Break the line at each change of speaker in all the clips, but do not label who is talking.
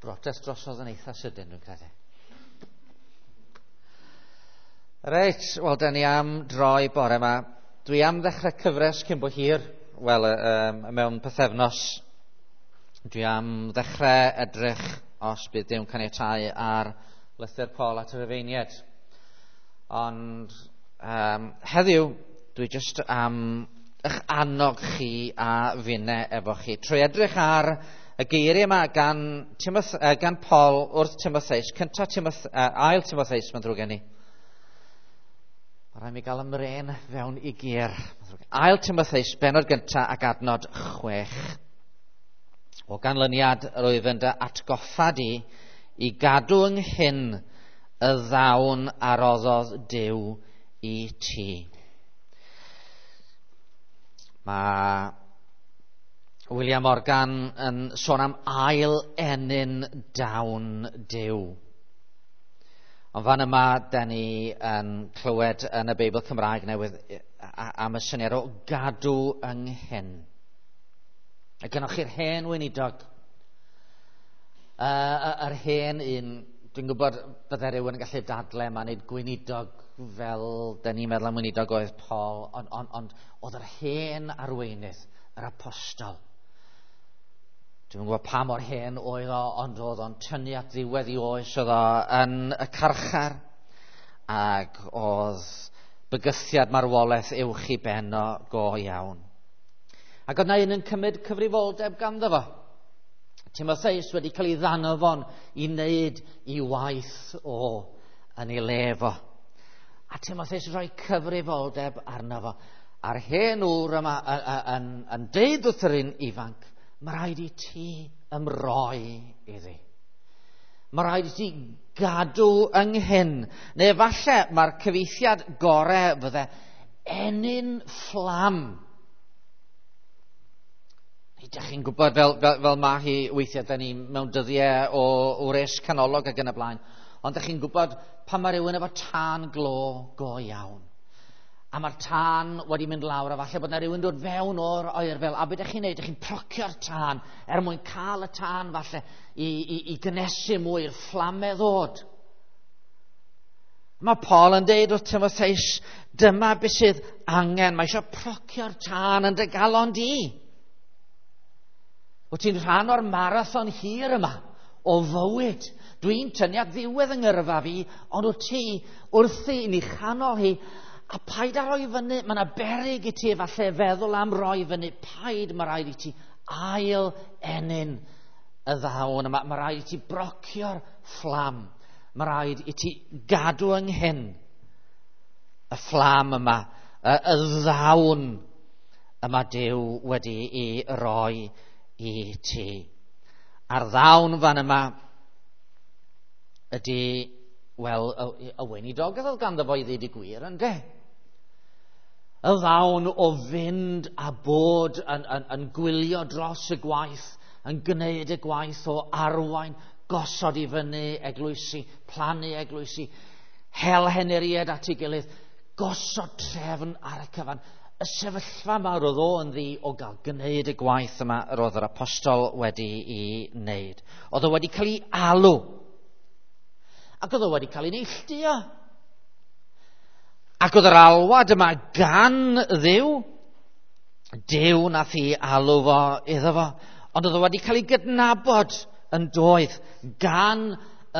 Brotest drosodd yn eitha sydyn, dwi'n credu. Reit, wel, da ni am droi bore yma. Dwi am ddechrau cyfres cyn bo hir, wel, mewn pythefnos. Dwi am ddechrau edrych, os bydd Duw'n caniatáu, ar lythyr Paul at y Rufeiniaid. Ond heddiw, dwi jyst am eich annog chi a finne efo chi. Trwy edrych ar y geiriau yma gan Paul wrth Timotheus, cyntaf Timoth, ail Timotheus, mae'n ddrwg gen i. Mae rhaid mi gael ymren fewn i gyr. Ail Timotheus, benod gyntaf ac adnod 6. O ganlyniad, roedd yn dy atgoffa di i gadw ynghyn y ddawn a roddodd Duw i ti. Mae William Morgan yn sôn am ail enyn dawn Duw. Ond fan yma, da ni yn clywed yn y Beibl Cymraeg newydd am y syniad o gadw ynghyn. A gynnwch chi'r hen weinidog, yr hen un, dwi'n gwybod bydde rhywun yn gallu dadle yma, nid gweinidog fel da ni'n meddwl am weinidog oedd Paul, ond oedd yr hen arweinydd, yr apostol. Dwi'n gwybod pa mor hen oedd o, ond oedd o'n tynnu at ddiwedd i oes, oedd o yn y carchar, ac oedd bygythiad marwolaeth uwch i ben o go iawn. Ac oedd na un yn cymryd cyfrifoldeb ganddo fo. Timotheus wedi cael ei ddanfon i wneud i waith o yn ei le fo. A Timotheus yn rhoi cyfrifoldeb arno fo. A'r hen ŵr yma yn deud wrth yr un ifanc, mae rhaid i ti ymroi iddi. Mae rhaid i ti gadw ynghyn. Neu falle mae'r cyfieithiad gorau fydde enyn fflam. Ydych chi'n gwybod fel mae hi weithiau, da ni mewn dyddiau o wres canolog ac yn y blaen. Ond ydych chi'n gwybod pan mae rhywun efo tân glo go iawn. A mae'r tân wedi mynd lawr, a falle bod yna rhywun dod fewn o'r oerfel. A beth ydych chi'n neud? Ydych chi'n procio'r tân er mwyn cael y tân falle i gynnesu mwy i'r fflamau ddod. Mae Paul yn deud wrth Timotheus, dyma beth sydd angen. Mae eisiau procio'r tân yn dy galon di. Wyt ti'n rhan o'r marathon hir yma o fywyd. Dwi'n tynnu at ddiwedd yng ngyrfa fi, ond wyt ti wrthi yn ei chanol hi, a paid â roi fyny, mae yna beryg i ti falle feddwl am roi fyny, paid, mae rhaid i ti ail enyn y ddawn yma, mae rhaid i ti brocio'r fflam, mae rhaid i ti gadw ynghyn y fflam yma, y ddawn yma Duw wedi i roi i ti. A'r ddawn fan yma ydy, wel, y weinidogaeth oedd ganddo fo i ddweud y gwir, ynde? Y ddawn o fynd a bod yn gwylio dros y gwaith, yn gwneud y gwaith o arwain, gosod i fyny eglwysi, plannu eglwysi, hel henuried at ei gilydd, gosod trefn ar y cyfan. Y sefyllfa yma roedd o yn ddi o gael gwneud y gwaith yma yr oedd yr apostol wedi ei wneud. Oedd o wedi cael ei alw. Ac oedd o wedi cael ei neilltuo. Ac oedd yr alwad yma gan Dduw. Duw nath i alw fo iddo fo. Ond oedd o wedi cael ei gydnabod yn doedd gan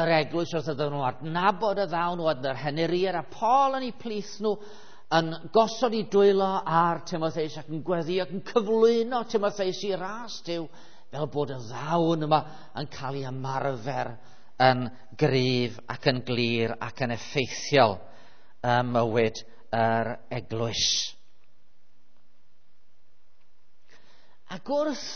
yr eglwys wrth iddyn nhw adnabod y ddawn oedd yr henuriaid a Paul yn ei plith nhw yn gosod i dwylo ar Timotheus ac yn gweddi ac yn cyflwyno Timotheus i ras Duw fel bod y ddawn yma yn cael ei ymarfer yn gryf ac yn glir ac yn effeithiol ym mywyd yr eglwys. Ac wrth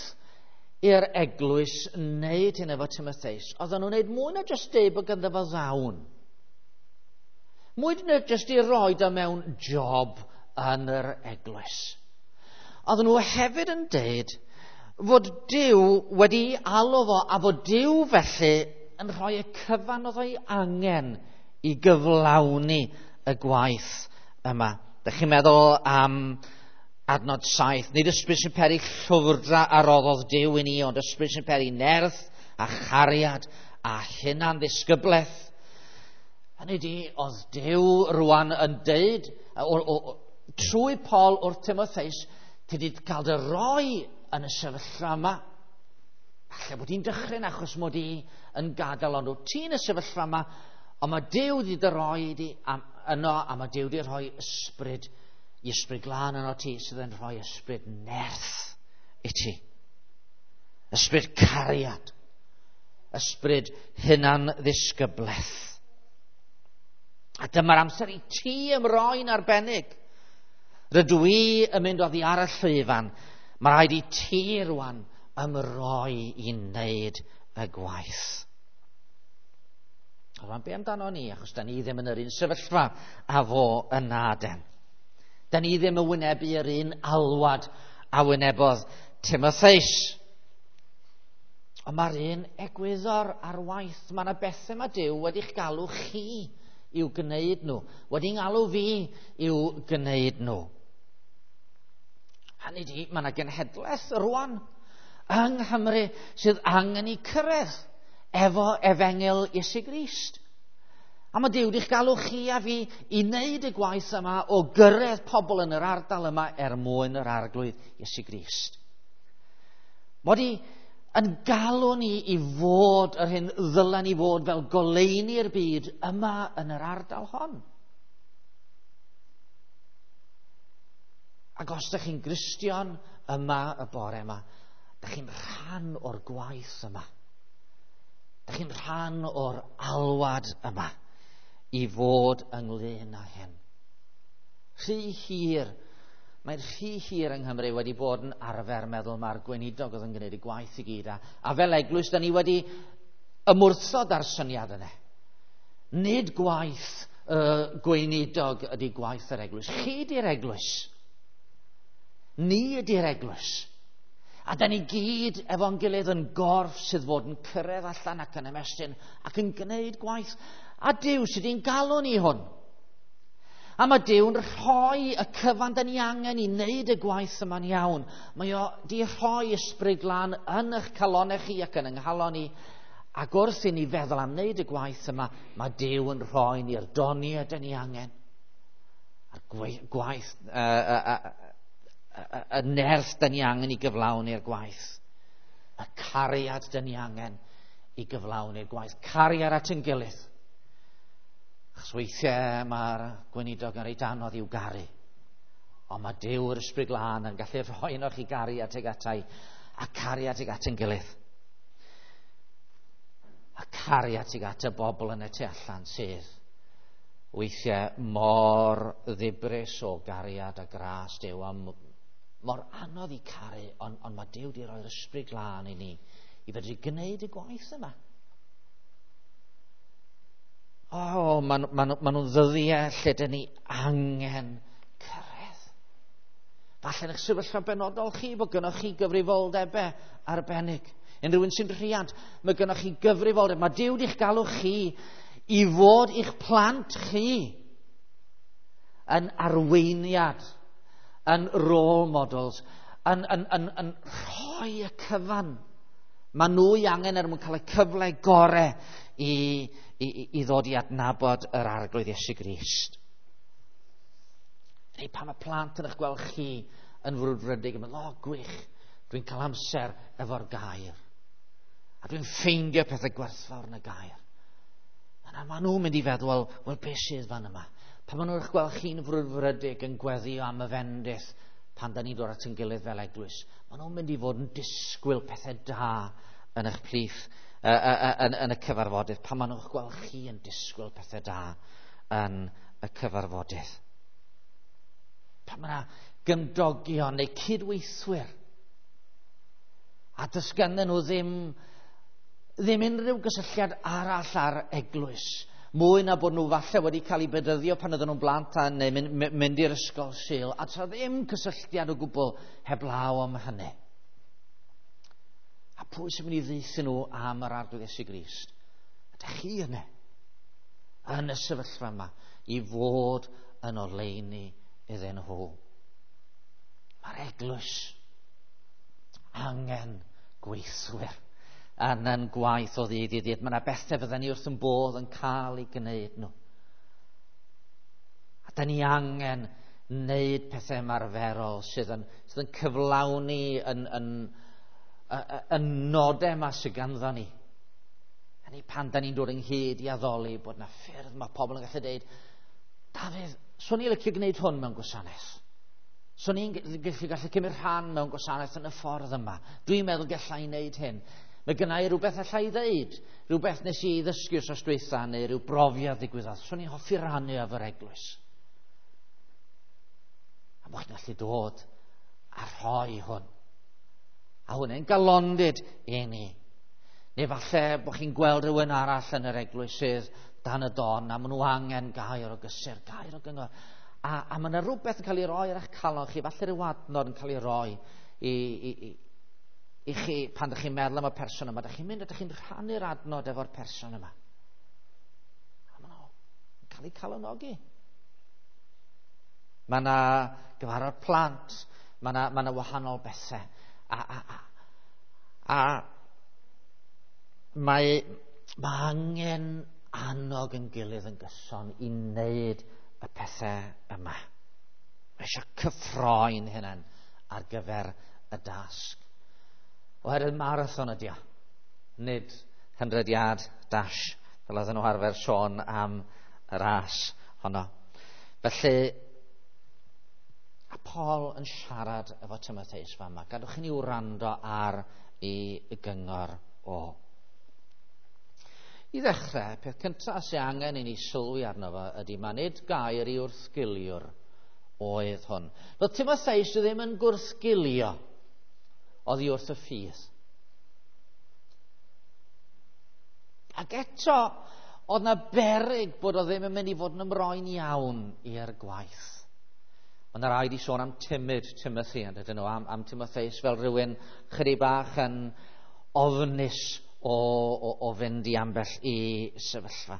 i'r eglwys wneud hyn efo Timotheus, oedden nhw'n wneud mwy na jyst deud bod ganddo fo ddawn. Mwy na jyst i roed o mewn job yn yr eglwys. Oedden nhw hefyd yn deud fod Duw wedi alw fo a fod Duw felly yn rhoi y cyfan oedd o'i angen i gyflawni y gwaith yma. Dych chi'n meddwl am adnod 7. Nid ysbryd sy'n peri llwfrdra a roddodd Duw i ni, ond ysbryd sy'n peri nerth a chariad a hunan ddisgyblaeth. Hynny di, oedd Duw rwan yn deud, trwy Paul wrth Timotheus, ti wedi cael dy roi yn y sefyllfa yma. Falle bod hi'n dychryn achos mod i yn gadael, ond wyt ti'n y sefyllfa yma, ond mae Duw wedi dy roi di yno, a mae Duw wedi rhoi ysbryd, i ysbryd glân yno ti, sydd yn rhoi ysbryd nerth i ti. Ysbryd cariad. Ysbryd hunan ddisgyblaeth. A dyma'r amser i ti ymroi'n arbennig. Rydw i yn mynd oddi ar y llwyfan. Mae rhaid i ti rwan ymroi i wneud y gwaith. Rwan, be amdano ni? Achos da ni ddim yn yr un sefyllfa a fo yna den. Da ni ddim yn wynebu yr un alwad a wynebodd Timotheus. Ond mae'r un egwyddor ar waith. Mae yna bethau mae Duw wedi'ch galw chi i'w gwneud nhw. Wedi'n galw fi i'w gwneud nhw. Hynny di, mae yna genhedlaeth rwan yng Nghymru sydd angen i cyrraedd efo efengyl Iesu Grist. A mae Duw wedi'ch galw chi a fi i wneud y gwaith yma o gyrraedd pobl yn yr ardal yma er mwyn yr Arglwydd Iesu Grist. Mod i yn galw ni i fod yr hyn ddylen ni fod fel goleuni'r byd yma yn yr ardal hon. Ac os ydych chi'n Gristion yma y bore yma, ydych chi'n rhan o'r gwaith yma. Ydych chi'n rhan o'r alwad yma i fod ynglyn â hyn. Rhy hir, mae'n rhy hir yng Nghymru wedi bod yn arfer meddwl mae'r gweinidog oedd yn gwneud y gwaith i gyd. A fel eglwys, da ni wedi ymwrthod ar syniad yna. Nid gwaith y gweinidog ydy gwaith yr eglwys. Chi ydy'r eglwys. Ni ydy'r eglwys. A da ni gyd efo'n gilydd yn gorff sydd fod yn cyrraedd allan ac yn ymestyn ac yn gwneud gwaith. A Duw sydd wedi'n galw ni hwn. A mae Duw'n rhoi y cyfan da ni angen i wneud y gwaith yma'n iawn. Mae o di rhoi ysbryd glân yn eich calonau chi ac yn yng nghalon ni. Ac wrth i ni feddwl am wneud y gwaith yma, mae Duw yn rhoi ni'r doniau da ni angen. A'r gwaith, y nerth da ni angen i gyflawni'r gwaith. Y cariad da ni angen i gyflawni'r gwaith. Cariad at yn gilydd. Achos weithiau mae'r gweinidog yn reit anodd i'w garu. Ond mae Duw yr Ysbryd Glân yn gallu rhoi yno chi gariad tuag atai a cariad tuag at yn gilydd. A cariad tuag at y bobl yn y tu allan sydd weithiau mor ddibris o gariad a gras Duw, a mor anodd i caru, ond mae Duw wedi rhoi'r Ysbryd Glân i ni i fedru gwneud y gwaith yma. O, maen nhw'n ddyddiau lle dyn ni angen cyrraedd. Falle yn eich sefyllfa benodol chi bod gynnoch chi gyfrifoldebau arbennig. Unrhyw un sy'n rhiant, mae gynnoch chi gyfrifoldeb. Mae Duw wedi'ch galw chi i fod i'ch plant chi yn arweiniad, yn role models, yn rhoi y cyfan. Mae nhw i angen er mwyn cael y cyfle gorau i ddod i adnabod yr Arglwydd Iesu Grist. Neu pan mae plant yn eich gweld chi yn frwdfrydig yn meddwl, o gwych, dwi'n cael amser efo'r gair. A dwi'n ffeindio pethau gwerthfawr yn y gair. Yna maen nhw'n mynd i feddwl, wel, beth sydd fan yma? Pan maen nhw'n eich gweld chi'n frwdfrydig yn gweddio am y fendith, pan da ni'n dod at yn gilydd fel eglwys, maen nhw'n mynd i fod yn disgwyl pethau da yn eich plith, yn y cyfarfodydd, pan maen nhw'n gweld chi yn disgwyl pethau da yn y cyfarfodydd. Pan mae yna gymdogion neu cydweithwyr, a does ganddyn nhw ddim unrhyw gysylltiad arall â'r eglwys, mwy na bod nhw falle wedi cael eu bedyddio pan oedden nhw'n blant a neu mynd i'r ysgol Sul, a tra ddim cysylltiad o gwbl heblaw am hynny. A pwy sy'n mynd i ddeuthu nhw am yr Arglwydd Iesu Grist? Ydych chi yna, yn y sefyllfa yma, i fod yn oleuni iddyn nhw. Mae'r eglwys angen gweithwyr. yn yn gwaith o ddydd i ddydd. Mae yna bethau fydden ni wrth yn bodd yn cael ei gwneud nhw. A da ni angen wneud pethau ymarferol sydd yn cyflawni yn nodau yma sydd ganddo ni. Hynny pan da ni'n dod ynghyd i addoli, bod na ffyrdd mae pobl yn gallu dweud, "Dafydd, swn i'n licio gwneud hwn mewn gwasanaeth. Swn i'n gallu cymryd rhan mewn gwasanaeth yn y ffordd yma. Dwi'n meddwl gallai i wneud hyn. Mae gynna i rhywbeth allai i ddeud, rhywbeth nes i ddysgu wrth dwytha neu rhyw brofiad ddigwyddodd. Swn i'n hoffi rannu efo'r eglwys." A bod chi'n gallu dod a rhoi hwn. A hwnna'n galondid i ni. Neu falle bod chi'n gweld rhywun arall yn yr eglwys sydd dan y don a maen nhw angen gair o gysur, gair o gyngor. A mae yna rhywbeth yn cael ei roi ar eich calon chi, falle rhyw adnod yn cael ei roi i chi pan ydych chi'n meddwl am y person yma. Ydych chi'n mynd, ydych chi'n rhannu'r adnod efo'r person yma. A maen nhw'n cael eu calonogi. Mae yna gyfarfod plant, mae yna wahanol bethau. A mae angen annog yn gilydd yn gyson i wneud y pethau yma. Mae eisiau cyffroi'n hunain ar gyfer y dasg. Oherwydd marathon ydi o, nid 100 yard dash, fel oedden nhw arfer sôn am y ras honno. Felly, a Paul yn siarad efo Timotheus fama. Gadwch i ni wrando ar ei gyngor o. I ddechrau, peth cyntaf sy'n angen i ni sylwi arno fo ydy mae nid gair i wrthgiliwr oedd hwn. Doedd Timotheus ddim yn gwrthgilio oddi wrth y ffydd. Ac eto, oedd na beryg bod o ddim yn mynd i fod yn ymroi'n iawn i'r gwaith. Mae yna rai 'di sôn am timid Timothy, yn dydyn nhw, am Timotheus fel rhywun chydig bach yn ofnus o fynd i ambell i sefyllfa.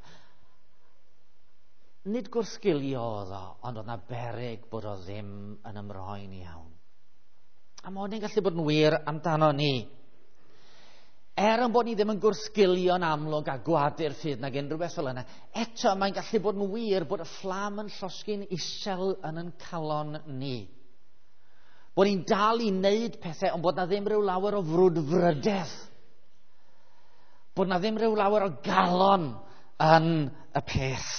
Nid gwrthgilio oedd o, ond oedd na beryg bod o ddim yn ymroi'n iawn. A mae hwnna'n gallu bod yn wir amdano ni. Er yn bod ni ddim yn gwrthgilio'n amlwg a gwadu'r ffydd nag unrhyw beth fel yna, eto mae'n gallu bod yn wir bod y fflam yn llosgi'n isel yn yn calon ni. Bod ni'n dal i wneud pethau, ond bod na ddim rhyw lawer o frwdfrydedd. Bod na ddim rhyw lawer o galon yn y peth.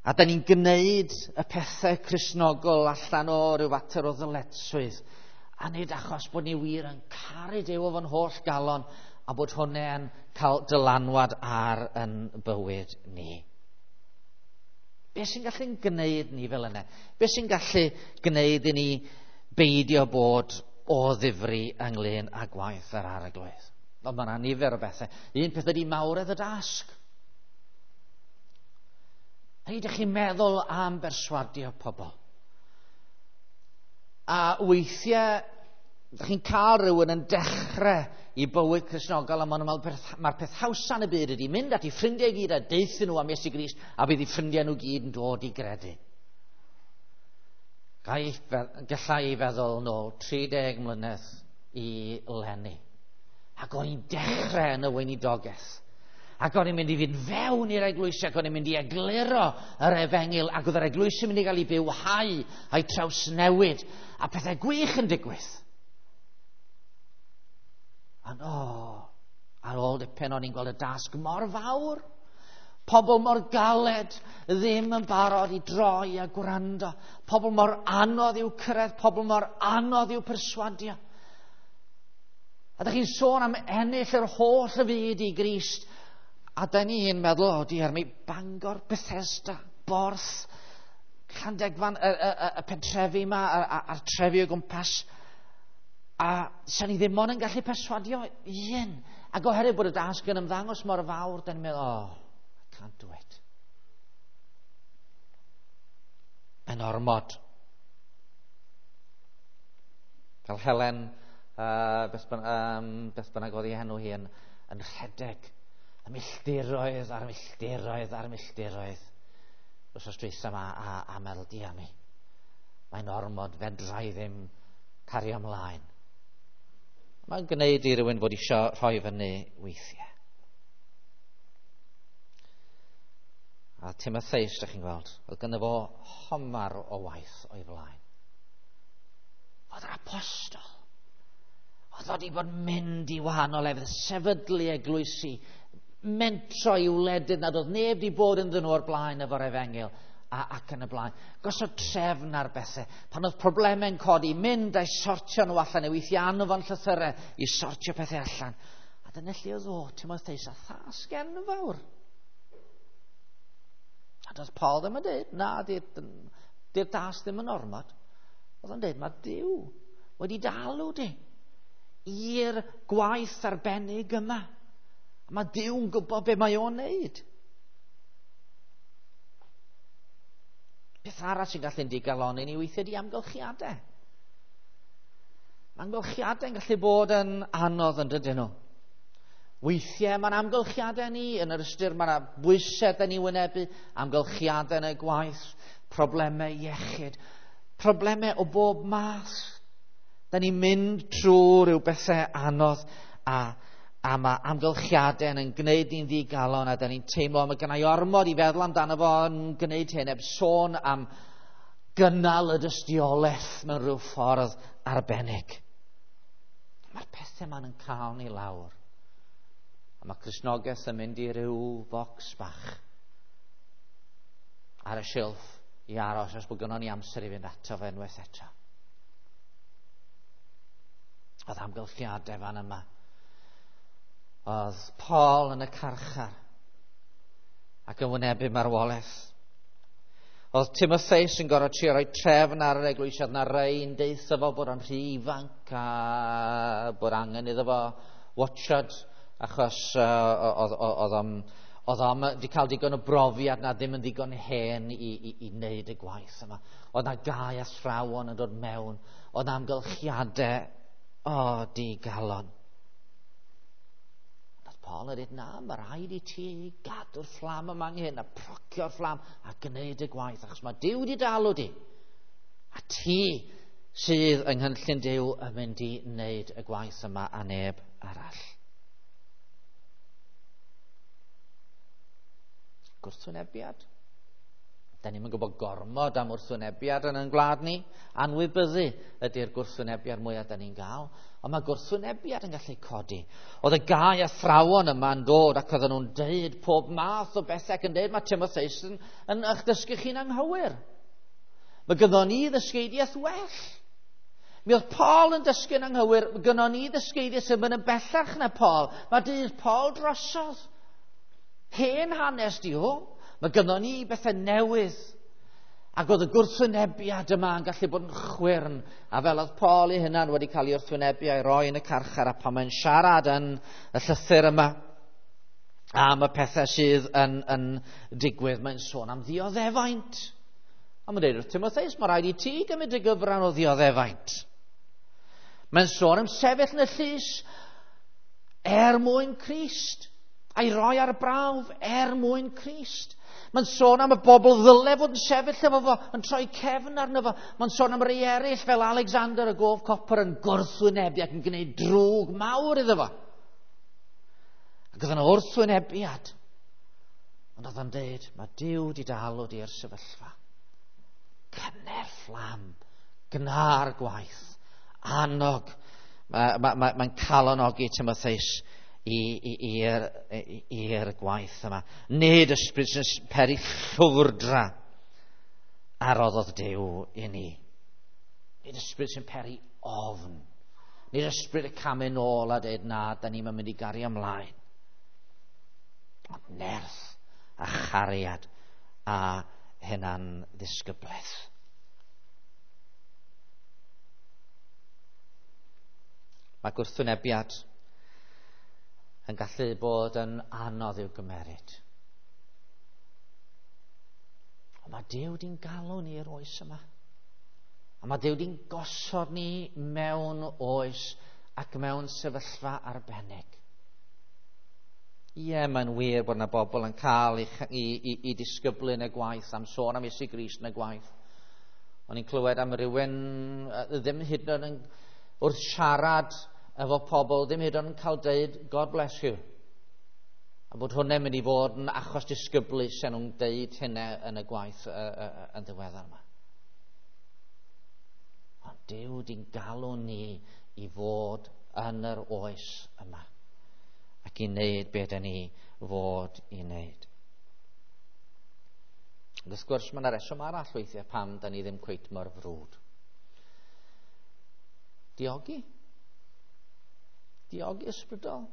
A da ni'n gwneud y pethau Cristnogol allan o ryw fater o ddyletswydd. A nid achos bod ni wir yn caru Duw efo'n holl galon a bod hwnna'n cael dylanwad ar yn bywyd ni. Be sy'n gallu gwneud ni fel yna? Be sy'n gallu gwneud i ni beidio bod o ddifri ynglyn â gwaith yr Arglwydd? Ond mae yna nifer o bethau. Un peth ydy mawredd y dasg. Hynny, ydych chi'n meddwl am berswadio pobl. A weithiau, ydych chi'n cael rhywun yn dechrau i bywyd Cristnogol a maen nhw'n meddwl mae'r peth hawsa yn y byd ydy mynd at eu ffrindiau gyd a deuthu nhw am Iesu Grist a bydd eu ffrindiau nhw gyd yn dod i gredu. Gallai i feddwl nôl 30 mlynedd i leni. Ac o'n i'n dechrau yn y weinidogaeth. Ac o'n i'n mynd i fynd fewn i'r eglwysi ac o'n i'n mynd i egluro yr efengyl ac oedd yr eglwysi yn mynd i gael ei bywhau a'i trawsnewid a pethau gwych yn digwydd. Ond ar ôl dipyn o'n i'n gweld y dasg mor fawr. Pobl mor galed ddim yn barod i droi a gwrando. Pobl mor anodd i'w cyrraedd, pobl mor anodd i'w perswadio. A ydych chi'n sôn am ennill yr holl y fyd i Grist. A da ni'n meddwl, o diar mi, Bangor, Bethesda, Borth, Llandegfan, y pentrefi yma, a'r trefi o gwmpas. A sa'n ni ddim ond yn gallu perswadio un. Ac oherwydd bod y dasg yn ymddangos mor fawr, da ni'n meddwl, oh, I can't do it. Mae'n ormod. Fel Helen, beth bynnag oedd ei henw hi, yn rhedeg y milltiroedd a'r milltiroedd a'r milltiroedd wrth dwytha yma a meddwl, dia mi, mae'n ormod, fedra i ddim cario ymlaen. Mae'n gwneud i rywun fod eisiau rhoi fyny weithiau. A Timotheus, ydych chi'n gweld, oedd gynno fo homar o waith o'i flaen. Oedd yr apostol. Oedd wedi bod mynd i wahanol lefydd, sefydlu eglwysi, mentro i wledydd nad oedd neb wedi bod ynddyn nhw o'r blaen efo'r efengyl ac yn y blaen. Gosod trefn ar bethau. Pan oedd problemau'n codi, mynd a'i sortio nhw allan, neu weithiau anfon llythyrau i sortio pethau allan. A dyna lle oedd o, Timotheus, a thasg enfawr. A doedd Paul ddim yn dweud, na, di'r dasg ddim yn ormod. Oedd o'n dweud, mae Duw wedi dalw di i'r gwaith arbennig yma. A mae Duw'n gwybod be mae o'n neud. Peth arall sy'n gallu'n digalonni ni weithiau di amgylchiadau. Mae amgylchiadau'n gallu bod yn anodd yn dydyn nhw. Weithiau mae'n amgylchiadau ni, yn yr ystyr mae yna bwysau da ni wynebu, amgylchiadau yn y gwaith, problemau iechyd, problemau o bob math. Da ni'n mynd trwy rhyw bethau anodd a mae amgylchiadau yn gwneud ni'n ddigalon a da ni'n teimlo mae gennau ormod i feddwl amdano fo yn gwneud hyn heb sôn am gynnal y dystiolaeth mewn rhyw ffordd arbennig. Mae'r pethau ma'n yn cael ni lawr. A mae Cristnogaeth yn mynd i ryw focs bach ar y silff i aros os bod gynnon ni amser i fynd ato fe unwaith eto. Oedd amgylchiadau fan yma. Oedd Paul yn y carchar ac yn wynebu marwolaeth. Oedd Timotheus yn gorfod trio rhoi trefn ar yr eglwys, oedd na rei'n deutha fo bod o'n rhy ifanc a bod angen iddo fo watchad, achos oedd o'n wedi cael digon o brofiad na ddim yn ddigon hen i wneud y gwaith yma. Oedd na gau athrawon yn dod mewn, oedd na amgylchiadau, digalon. Paul yn dweud, na, mae rhaid i ti gadw'r fflam yma ynghyn a procio'r fflam a gwneud y gwaith, achos mae Duw wedi dalw di. A ti sydd yng nghynllun Duw yn mynd i wneud y gwaith yma a neb arall. Gwrthwynebiad. Da ni'n gwybod gormod am wrthwynebiad yn ein gwlad ni. Anwybyddu ydy'r gwrthwynebiad mwyaf da ni'n gael. Ond mae gwrthwynebiad yn gallu codi. Oedd y gau athrawon yma'n dod ac oedden nhw'n deud pob math o bethau ac yn deud mae Timotheus yn eich dysgu chi'n anghywir. Mae gynnon ni ddysgeidiaeth well. Mi oedd Paul yn dysgu'n anghywir, mae gynnon ni ddysgeidiaeth sy'n mynd yn bellach na Paul. Mae dydd Paul drosodd. Hen hanes di o. Mae gynnon ni bethau newydd. Ac oedd y gwrthwynebiad yma yn gallu bod yn chwyrn. A fel oedd Paul ei hunan wedi cael ei wrthwynebu a'i roi yn y carchar, a pan mae'n siarad yn y llythyr yma am y pethau sydd yn digwydd, mae'n sôn am ddioddefaint. A mae'n dweud wrth Timotheus, mae rhaid i ti gymryd y gyfran o ddioddefaint. Mae'n sôn am sefyll yn y llys er mwyn Crist, a'i roi ar brawf er mwyn Crist. Mae'n sôn am y bobl ddyle fod yn sefyll efo fo, yn troi cefn arno fo. Mae'n sôn am rei eraill fel Alexander y gof copr yn gwrthwynebu ac yn gwneud drwg mawr iddo fo. Ac oedd yna wrthwynebiad. Ond oedd o'n dweud, mae Duw wedi dalw di i'r sefyllfa. Cynner fflam, gna'r gwaith, annog. Mae'n calonogi Timotheus i'r gwaith yma. Nid ysbryd sy'n peri llwfrdra a roddodd Duw i ni. Nid ysbryd sy'n peri ofn. Nid ysbryd y camu nôl a dweud na, da ni'n mynd i gario ymlaen. Ond nerth a chariad a hunan ddisgyblaeth. Mae gwrthwynebiad yn gallu bod yn anodd i'w gymeryd. Ond mae Duw di'n galw ni i'r oes yma. A mae Duw di'n gosod ni mewn oes ac mewn sefyllfa arbennig. Ie, mae'n wir bod yna bobl yn cael i disgyblu yn y gwaith, am sôn am Iesu Grist yn y gwaith. O'n i'n clywed am rywun ddim hyd yn oed wrth siarad efo pobl ddim hyd yn cael deud God bless you. A bod hwnna'n mynd i fod yn achos disgyblu sy'n nhw'n deud hynna yn y gwaith yn ddiweddar yma. Ond Duw di'n galw ni i fod yn yr oes yma ac i wneud beth da ni fod i wneud. Ond wrth gwrs, mae yna reswm arall weithiau pam da ni ddim cweit mor frwd. Diogi. Diogi ysbrydol.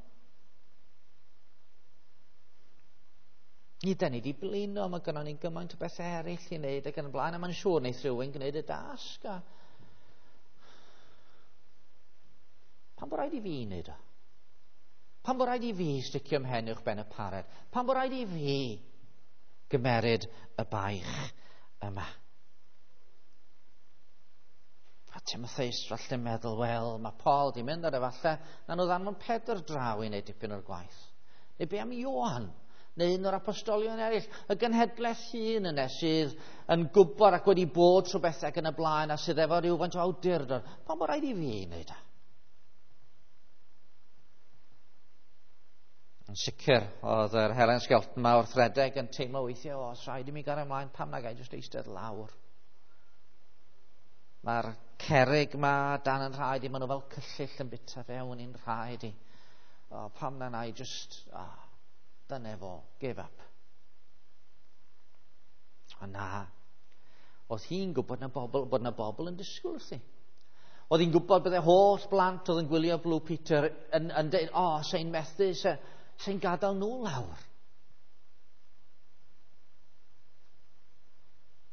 Ni da ni wedi blino, mae gynnon ni gymaint o bethau eraill i wneud ac yn y blaen, a mae'n siŵr wneith rhywun gwneud y dasg. A... Pam bod rhaid i fi wneud o? Pam bod rhaid i fi sticio mhen uwch ben y pared? Pam bod rhaid i fi gymeryd y baich yma? A Timotheus falle meddwl, wel, mae Paul di mynd ar efallai, na nhw ddanfon Pedr draw i wneud dipyn o'r gwaith. Neu be am Ioan? Neu un o'r apostolion eraill, y genhedlaeth hun yna sydd yn gwybod ac wedi bod trwy bethau ac yn y blaen a sydd efo rhywfaint o awdurdod. Pam bod rhaid i fi wneud o? Yn sicr, oedd yr Helen Skelton yma wrth redeg yn teimlo weithiau, o, os rhaid i mi gael ymlaen, pam na gai jyst eistedd lawr? Mae'r cerrig ma dan yn rhaid i, maen nhw fel cyllyll yn bita fewn i'n rhaid i. O, pam na na i just, o, dyna fo, give up. O na, oedd hi'n gwybod na bobl, bod na bobl yn disgwyl wrthi. Oedd hi'n gwybod bydde holl blant oedd yn gwylio Blue Peter yn dweud, o, sa'n methu, sa'n gadael nhw lawr.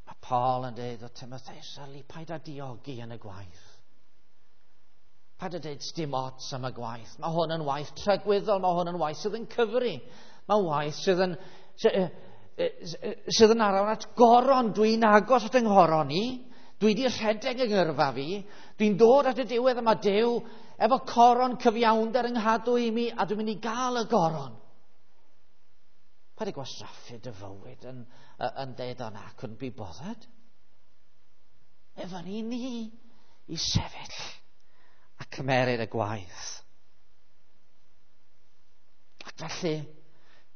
Mae Paul yn dweud o Timotheus, yli, paid â diogi yn y gwaith. Paid â dweud dim ots am y gwaith. Mae hwn yn waith tragwyddol, mae hwn yn waith sydd yn cyfri. Mae'n waith sydd yn, sydd yn arwain at goron. Dwi'n agos at yng nghoron i. Dwi wedi rhedeg yng ngyrfa fi. Dwi'n dod at y diwedd yma Duw efo coron cyfiawnder yng nghadw i mi a dwi'n mynd i gael y goron. Paid â gwastraffu dy fywyd yn deud o na, couldn't be bothered. Efo ni i sefyll a cymeryd y gwaith. Ac felly,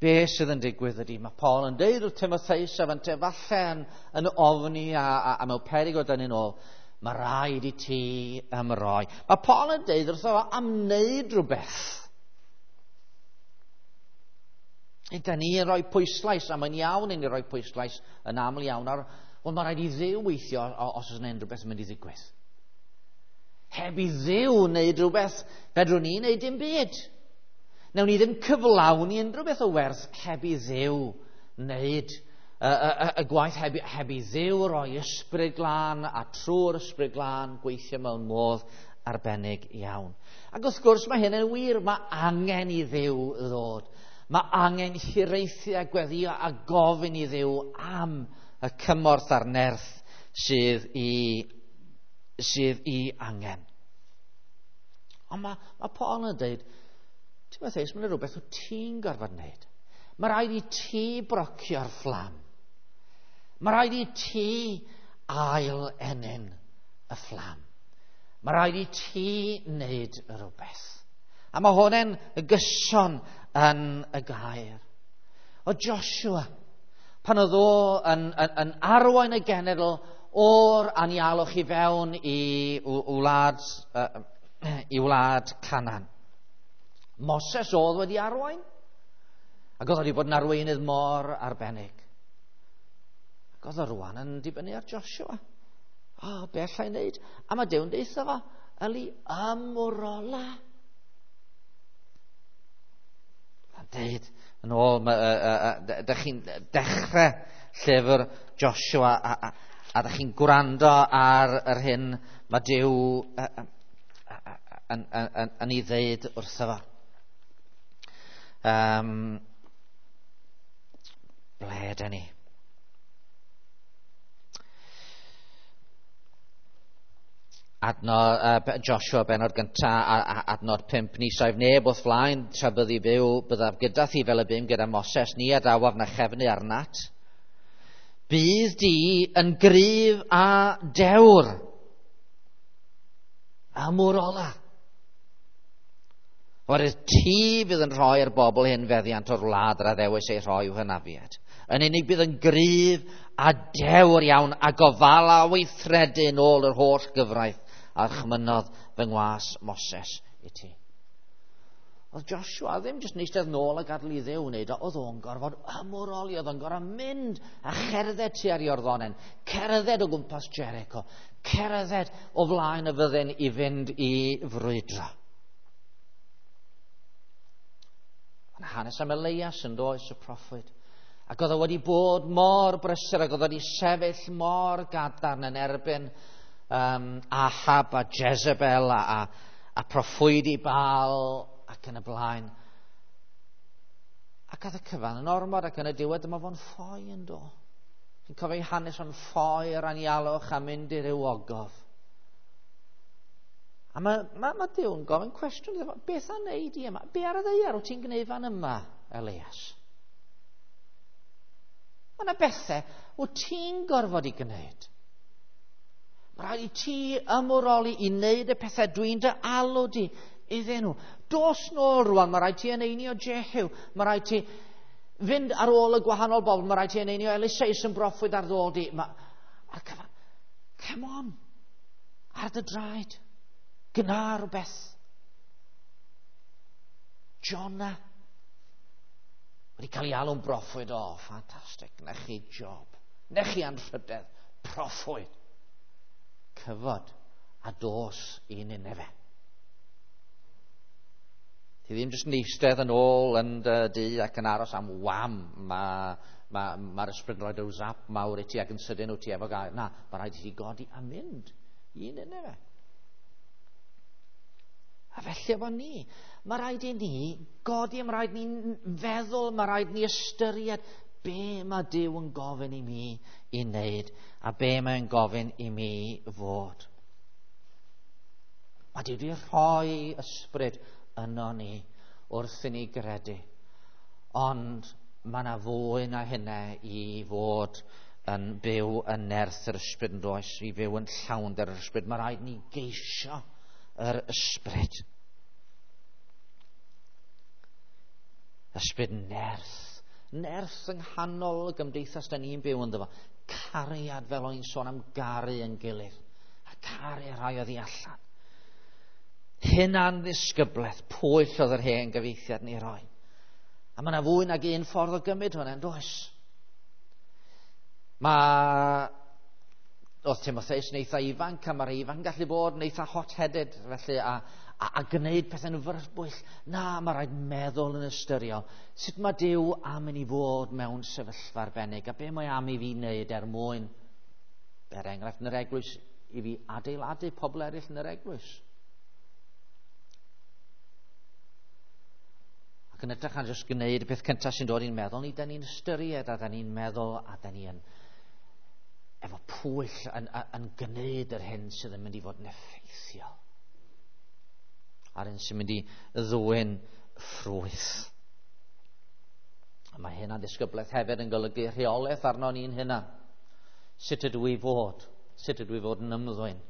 be sydd yn digwydd ydy, mae Paul yn deud wrth Timotheus a fante falle yn ofni a mewn peryg o dynnu'n ôl, mae rhaid i ti ymroi. Mae Paul yn deud wrtho fo am wneud rhywbeth. Ydy ni yn rhoi pwyslais, a mae'n iawn i ni rhoi pwyslais yn aml iawn ar, wel, mae rhaid i Dduw weithio os oes yna unrhyw beth yn mynd i ddigwydd. Heb i Dduw wneud rhywbeth, fedrwn ni wneud dim byd. Newn ni ddim cyflawni unrhyw beth o werth heb i Dduw wneud y gwaith, heb i Dduw roi ysbryd glân a trwy'r ysbryd glân gweithio mewn modd arbennig iawn. Ac wrth gwrs mae hyn yn wir, mae angen i Dduw ddod. Mae angen hiraethu a gweddio a gofyn i Dduw am y cymorth a'r nerth sydd i angen. Ond mae Paul yn dweud, Timotheus, mae'n rhywbeth wyt ti'n gorfod wneud. Mae rhaid i ti brocio'r fflam. Mae rhaid i ti ail ennyn y fflam. Mae rhaid i ti wneud rhywbeth. A mae hwn yn gyson yn y gair. O Joshua, pan oedd o yn arwain y genedl o'r anialwch i fewn i wlad Canaan. Moses oedd wedi arwain, ac oedd wedi bod yn arweinydd mor arbennig. Ac oedd o rwan yn dibynnu ar Joshua. O, be allai wneud? A mae Duw'n deutha fo, yli ymwrola. Mae'n deud, yn ôl, dych chi'n dechrau llyfr Joshua a dych chi'n gwrando ar yr hyn mae Duw yn ei ddeud wrtho fo. Ble ydyn ni? Adnod, Joshua benod gynta, adnod 5, ni saif neb wrth flaen tra byddi byw, byddaf gyda thi fel y bum gyda Moses, ni adawaf na chefnu arnat. Bydd di yn gryf a dewr. A mwr ola. Oherwydd ti fydd yn rhoi'r bobl hyn feddiant o'r wlad yr addewis ei rhoi i'w hynafiad. Yn unig bydd yn gryf a dewr iawn a gofala weithredu yn ôl yr holl gyfraith a chmynodd fy ngwas Moses i ti. Oedd Joshua ddim jyst yn eistedd nôl a gadael i Dduw wneud o, oedd o'n gorfod ymwroli, oedd o'n gorfod mynd a cherdded tua'r Iorddonen, cerdded o gwmpas Jericho, cerdded o flaen y fyddin i fynd i frwydro. Mae'n hanes am Elias yn does, y proffwyd. Ac oedd o wedi bod mor brysur ac oedd o wedi sefyll mor gadarn yn erbyn Ahab a Jezebel a proffwydi Baal ac yn y blaen. Ac oedd y cyfan yn ormod ac yn y diwedd dyma fo'n ffoi yn do. Chi'n cofio ei hanes o'n ffoi yr anialwch a mynd i ryw ogof. A mae Duw yn gofyn cwestiwn iddo fo, beth a wneud i yma? Be ar y ddaear wyt ti'n gwneud fan yma, Elias? Mae yna bethau wyt ti'n gorfod i gwneud. Mae rhaid i ti ymwroli i wneud y pethau dwi'n dy alw di iddyn nhw. Dos nôl rwan, mae rhaid ti eneinio Jehu, mae rhaid ti fynd ar ôl y gwahanol bobl, mae rhaid ti eneinio Eliseus yn broffwyd ar ddôl di. A'r cyfan, come on, ar dy draed. Gwna rhywbeth. Jonah wedi cael ei alw'n broffwyd. O, ffantastig. Na chi job. Na chi anrhydedd. Proffwyd. Cyfod a dos i Nineve. Ti ddim jyst yn eistedd yn ôl yn dy dŷ ac yn aros am wham. Mae'r ysbryd yn rhoi ryw zap mawr i ti ac yn sydyn wyt ti efo gair. Na, mae rhaid i ti godi a mynd i Nineve. A felly efo ni, mae rhaid i ni godi, mae rhaid ni'n feddwl, mae rhaid ni ystyried be mae Duw yn gofyn i mi i wneud a be mae'n gofyn i mi fod. Mae Duw wedi rhoi ysbryd yno ni wrth i ni gredu. Ond mae yna fwy na hynna i fod yn byw yn nerth yr ysbryd yn does, i fyw yn llawnder yr ysbryd. Mae rhaid ni geisio yr ysbryd. Ysbryd nerth. Nerth yng nghanol y gymdeithas da ni'n byw ynddo fo. Cariad, fel o'n i'n sôn am garu yn gilydd. A caru rhai oddi allan. Hunan ddisgyblaeth, pwyll oedd yr hen gyfieithiad ni roi. A mae yna fwy nag un ffordd o gymryd hwnna, yn does? Oedd Timotheus yn eitha ifanc, a mae'r ifanc yn gallu bod yn eitha hot-headed, felly, a gwneud pethau'n fyrbwyll. Na, mae rhaid meddwl yn ystyriol. Sut mae Duw am i ni fod mewn sefyllfa arbennig, a be mae am i fi wneud er mwyn, er enghraifft yn yr eglwys, i fi adeiladu pobl eraill yn yr eglwys. Ac yn edrych ar jyst gwneud y peth cyntaf sy'n dod i'n meddwl, ni da ni'n ystyried a da ni'n meddwl a da ni yn efo pwyll yn gwneud yr hyn sydd yn mynd i fod yn effeithiol. A'r hyn sy'n mynd i ddwyn ffrwyth. A mae hynna'n ddisgyblaeth hefyd yn golygu rheolaeth arno ni'n hynna. Sut ydw i fod? Sut ydw i fod yn ymddwyn?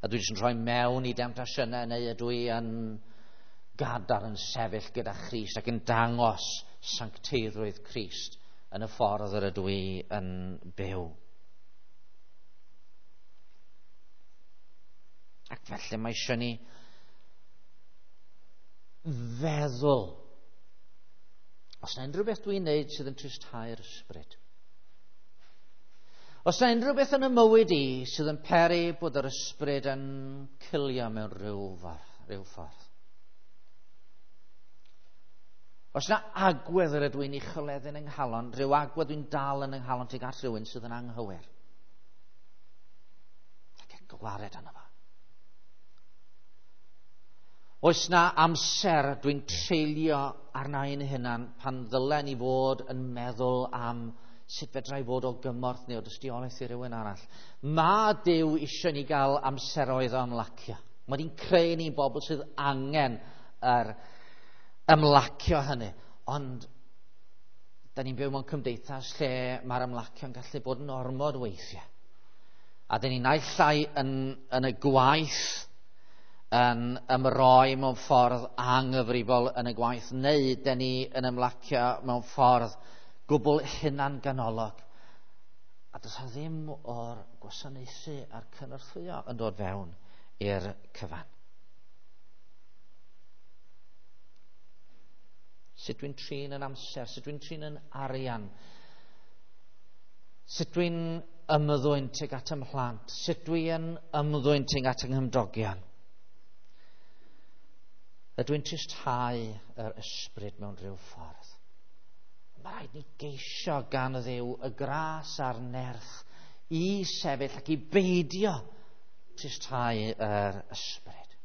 Ydw i jyst yn rhoi mewn i demtasiynau neu ydw i yn gadar yn sefyll gyda Christ ac yn dangos sancteiddrwydd Crist yn y ffordd yr ydw i yn byw? Ac felly mae eisiau ni feddwl. Os yna unrhyw beth dwi'n neud sydd yn tristau'r ysbryd. Os yna unrhyw beth yn y mywyd i sydd yn peri bod yr ysbryd yn cilio mewn rhyw ffordd. Os yna agwedd yr ydw i'n ei chyleddu yn yng nghalon, rhyw agwedd dwi'n dal yn yng nghalon tuag at rhywun sydd yn anghywir. Ac yn gwared arno fo. Oes na amser dwi'n treulio arna i'n hunan pan ddylen i fod yn meddwl am sut fedra i fod o gymorth neu o dystiolaeth i rywun arall. Mae Duw eisiau ni gael amseroedd o ymlacio. Mae di'n creu ni'n bobl sydd angen yr ymlacio hynny. Ond da ni'n byw mewn cymdeithas lle mae'r ymlacio'n gallu bod yn ormod weithiau. A da ni'n naill ai yn y gwaith yn ymroi mewn ffordd anghyfrifol yn y gwaith, neu dyn ni yn ymlacio mewn ffordd gwbl hunanganolog. A does 'na ddim o'r gwasanaethu a'r cynorthwyo yn dod fewn i'r cyfan. Sut dwi'n trin yn amser, sut dwi'n trin yn arian, sut dwi'n ymddwyn tuag at 'y mhlant, sut dwi'n ymddwyn tuag at 'y nghymdogion. Ydw i'n tristhau yr ysbryd mewn rhyw ffordd? Mae rhaid ni geisio gan Dduw y gras a'r nerth i sefyll ac i beidio tristhau yr ysbryd.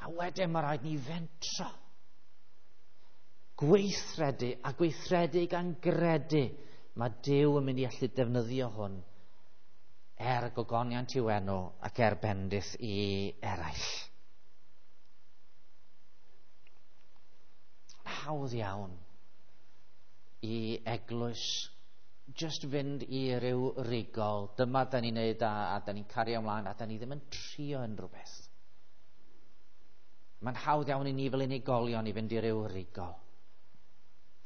A wedyn mae rhaid ni fentro, gweithredu a gweithredu gan gredu mae Duw yn mynd i allu defnyddio hwn er gogoniant i'w enw ac er bendith i eraill. Hawdd iawn i eglwys just fynd i ryw rigol. Dyma da ni'n neud a da ni'n cario ymlaen a da ni ddim yn trio unrhyw beth. Mae'n hawdd iawn i ni fel unigolion i fynd i ryw rigol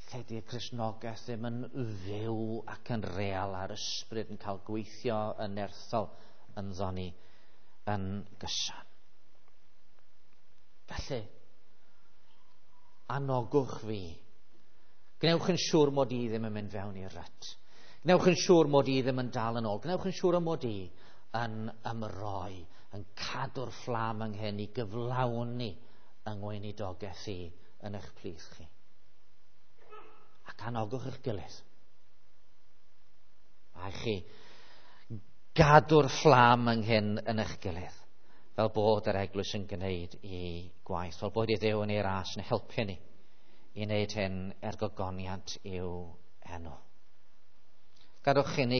lle di'r Cristnogaeth ddim yn fyw ac yn real a'r ysbryd yn cael gweithio yn nerthol ynddo ni yn gyson. Felly, anogwch fi. Gwnewch yn siŵr mod i ddim yn mynd fewn i'r rut. Gwnewch yn siŵr mod i ddim yn dal yn ôl. Gwnewch yn siŵr mod i yn ymroi, yn cadw'r fflam ynghyn i gyflawni yng ngweinidogaeth i yn eich plith chi. Ac anogwch eich gilydd. Mae chi gadw'r fflam ynghyn yn eich gilydd, fel bod yr eglwys yn gwneud i gwaith, fel bod i Dduw yn ei ras yn helpu ni i wneud hyn er gogoniant i'w enw. Gadwch i ni